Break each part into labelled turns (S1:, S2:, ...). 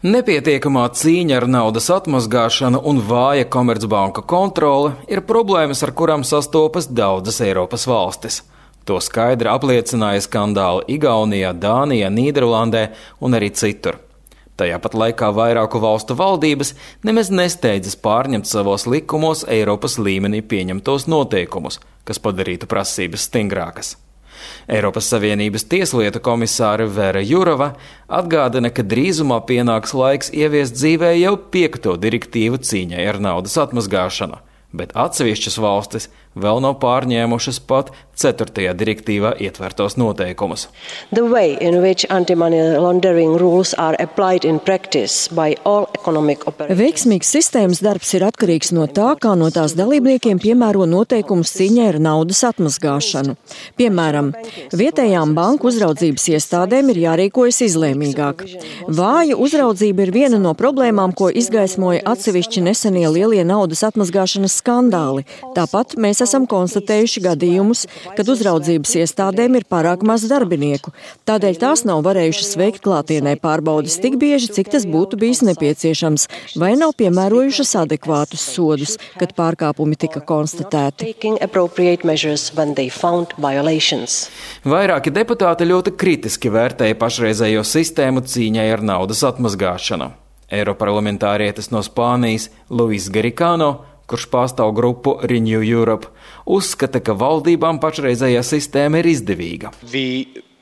S1: Nepietiekamā cīņa ar naudas atmazgāšanu un vāja komercbanku kontrole ir problēmas, ar kurām sastopas daudzas Eiropas valstis. To skaidri apliecināja skandāli Igaunijā, Dānijā, Nīderlandē un arī citur. Tajā pat laikā vairāku valstu valdības nemaz nesteidzas pārņemt savos likumos Eiropas līmenī pieņemtos noteikumus, kas padarītu prasības stingrākas. Eiropas Savienības tieslietu komisāre Vera Jurova atgādina, ka drīzumā pienāks laiks ieviest dzīvē jau 5. direktīvu cīņai ar naudas atmazgāšanu, bet atsevišķas valstis vēl nav pārņēmušas pat 4. direktīvā ietvertos noteikumus.
S2: The way in which anti-money laundering rules are applied in practice by all economic operators.
S3: Veiksmīgs sistēmas darbs ir atkarīgs no tā, kā no tās dalībniekiem piemēro noteikumus cīņai ar naudas atmazgāšanu. Piemēram, vietējām banku uzraudzības iestādēm ir jārīkojas izlēmīgāk. Vāja uzraudzība ir viena no problēmām, ko izgaismoja atsevišķi nesenie lielie naudas atmazgāšanas skandāli. Tāpat mēs esam konstatējuši gadījumus, kad uzraudzības iestādēm ir pārāk maz darbinieku. Tādēļ tās nav varējušas veikt klātienē pārbaudes tik bieži, cik tas būtu bijis nepieciešams, vai nav piemērojušas adekvātus sodus, kad pārkāpumi tika konstatēti.
S1: Vairāki deputāti ļoti kritiski vērtēja pašreizējo sistēmu cīņai ar naudas atmazgāšanu. Eiroparlamentārietis no Spānijas Luis Garicano, kurš pārstāv grupu Renew Europe, uzskata, ka valdībām pašreizējā sistēma ir izdevīga.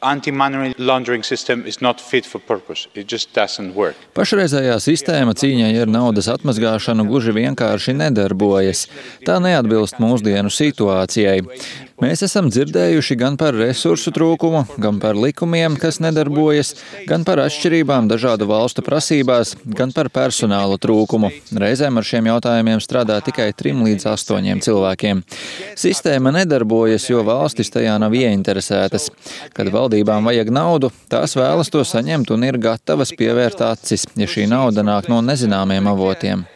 S4: Anti-money laundering system is not fit for purpose. It just doesn't work.
S5: Pašreizējā sistēma cīņai ar naudas atmazgāšanu gluži vienkārši nedarbojas. Tā neatbilst mūsdienu situācijai. Mēs esam dzirdējuši gan par resursu trūkumu, gan par likumiem, kas nedarbojas, gan par atšķirībām dažādu valstu prasībās, gan par personāla trūkumu. Reizēm ar šiem jautājumiem strādā tikai 3 līdz 8 cilvēkiem. Sistēma nedarbojas, jo valstis tajā nav ieinteresētas. Kad valdībām vajag naudu, tās vēlas to saņemt un ir gatavas pievērt acis, ja šī nauda nāk no nezināmiem avotiem.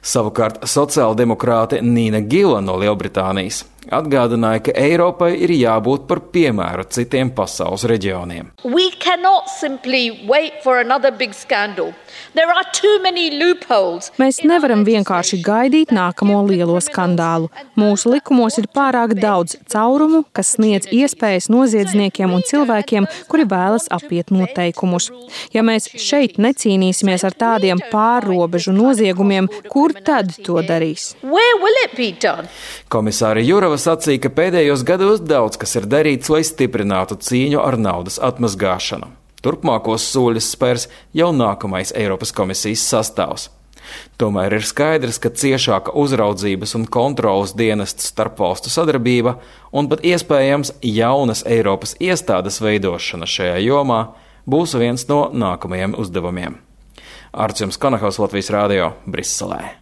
S1: Savukārt sociāldemokrāte Nīna Gila no Lielbritānijas atgādināja, ka Eiropai ir jābūt par piemēru citiem pasaules reģioniem.
S6: Mēs nevaram vienkārši gaidīt nākamo lielo skandālu. Mūsu likumos ir pārāk daudz caurumu, kas sniedz iespējas noziedzniekiem un cilvēkiem, kuri vēlas apiet noteikumus. Ja mēs šeit necīnīsimies ar tādiem pārrobežu noziegumiem, kur tad to darīs?
S1: Komisāre Jurova sacīja, ka pēdējos gados daudz kas ir darīts, lai stiprinātu cīņu ar naudas atmazgāšanu. Turpmākos soļus spērs jau nākamais Eiropas komisijas sastāvs. Tomēr ir skaidrs, ka ciešāka uzraudzības un kontrolas dienestu starpvalstu sadarbība un pat iespējams jaunas Eiropas iestādes veidošana šajā jomā būs viens no nākamajiem uzdevumiem. Arčuns Konahaus, Latvijas Rādio, Briselē.